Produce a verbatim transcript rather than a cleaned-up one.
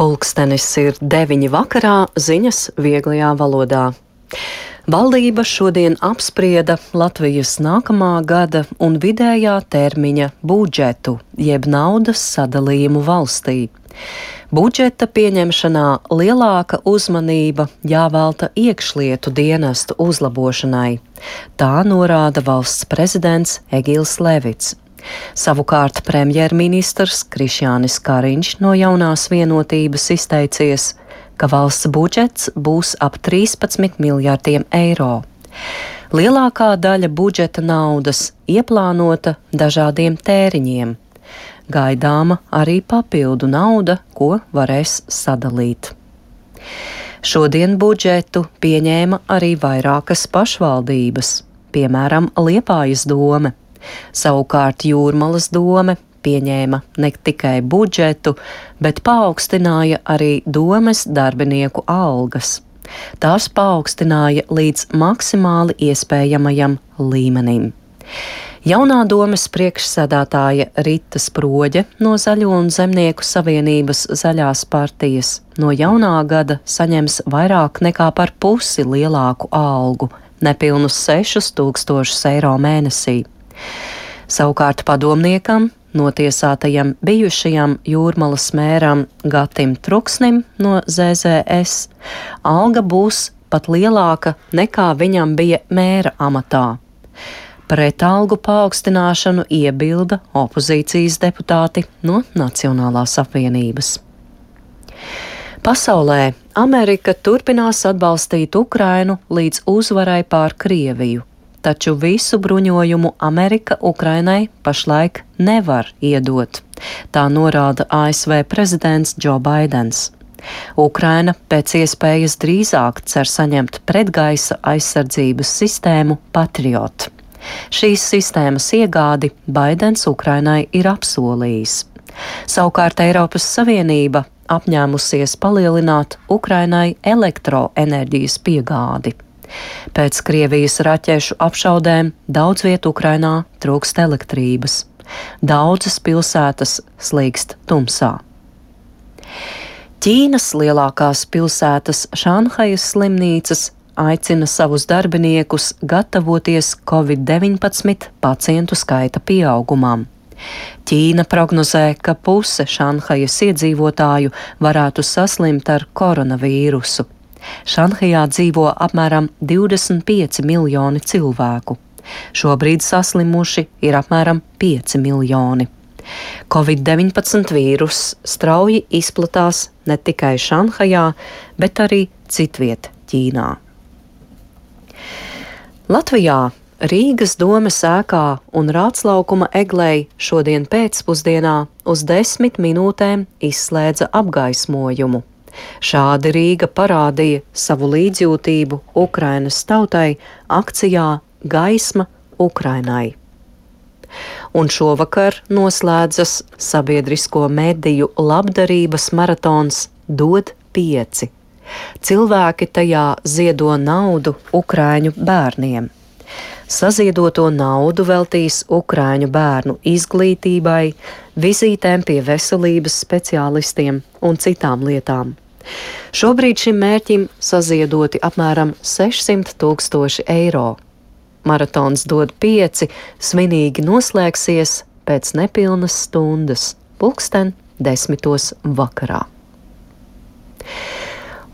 Pulkstenis ir deviņi vakarā, ziņas vieglajā valodā. Valdība šodien apsprieda Latvijas nākamā gada un vidējā termiņa budžetu, jeb naudas sadalījumu valstī. Budžeta pieņemšanā lielāka uzmanība jāvelta iekšlietu dienestu uzlabošanai. Tā norāda valsts prezidents Egils Levits. Savukārt premjerministrs Krišjānis Kariņš no Jaunās vienotības izteicies, ka valsts budžets būs ap trīspadsmit miljardiem eiro. Lielākā daļa budžeta naudas ieplānota dažādiem tēriņiem. Gaidāma arī papildu nauda, ko varēs sadalīt. Šodien budžetu pieņēma arī vairākas pašvaldības, piemēram, Liepājas dome. Savukārt Jūrmalas dome pieņēma ne tikai budžetu, bet paaugstināja arī domes darbinieku algas. Tās paaugstināja līdz maksimāli iespējamajam līmenim. Jaunā domes priekšsēdētāja Rita Sproģe no Zaļo un Zemnieku savienības Zaļās partijas no jaunā gada saņems vairāk nekā par pusi lielāku algu, nepilnus sešus tūkstošus eiro mēnesī. Savukārt padomniekam, notiesātajam bijušajam Jūrmalas mēram Gatim Truksnim no Z Z S, alga būs pat lielāka nekā viņam bija mēra amatā. Pret algu paaugstināšanu iebilda opozīcijas deputāti no Nacionālās apvienības. Pasaulē Amerika turpinās atbalstīt Ukrainu līdz uzvarai pār Krieviju. Taču visu bruņojumu Amerika Ukrainai pašlaik nevar iedot. Tā norāda A S V prezidents Džo Baidens. Ukraina pēc iespējas drīzāk cer saņemt pretgaisa aizsardzības sistēmu Patriot. Šīs sistēmas iegādi Baidens Ukrainai ir apsolījis. Savukārt Eiropas Savienība apņēmusies palielināt Ukrainai elektroenerģijas piegādi. Pēc Krievijas raķešu apšaudēm daudz viet Ukrainā trūkst elektrības. Daudzas pilsētas slīkst tumsā. Ķīnas lielākās pilsētas Šanhajas slimnīcas aicina savus darbiniekus gatavoties covid deviņpadsmit pacientu skaita pieaugumam. Ķīna prognozē, ka puse Šanhajas iedzīvotāju varētu saslimt ar koronavīrusu. Šanhajā dzīvo apmēram divdesmit pieci miljoni cilvēku. Šobrīd saslimuši ir apmēram pieci miljoni. covid deviņpadsmit vīruss strauji izplatās ne tikai Šanhajā, bet arī citviet Ķīnā. Latvijā Rīgas domes ēkā un Rātslaukuma eglei šodien pēcpusdienā uz desmit minūtēm izslēdza apgaismojumu. Šādi Rīga parādīja savu līdzjūtību Ukrainas tautai akcijā Gaisma Ukrainai. Un šovakar noslēdzas sabiedrisko mediju labdarības maratons Dod pieci. Cilvēki tajā ziedo naudu Ukraiņu bērniem. Saziedoto naudu veltīs Ukraiņu bērnu izglītībai, vizītēm pie veselības speciālistiem un citām lietām. Šobrīd šim mērķim saziedoti apmēram sešsimt tūkstoši eiro. Maratons Dod pieci svinīgi noslēgsies pēc nepilnas stundas, pulksten desmitos vakarā.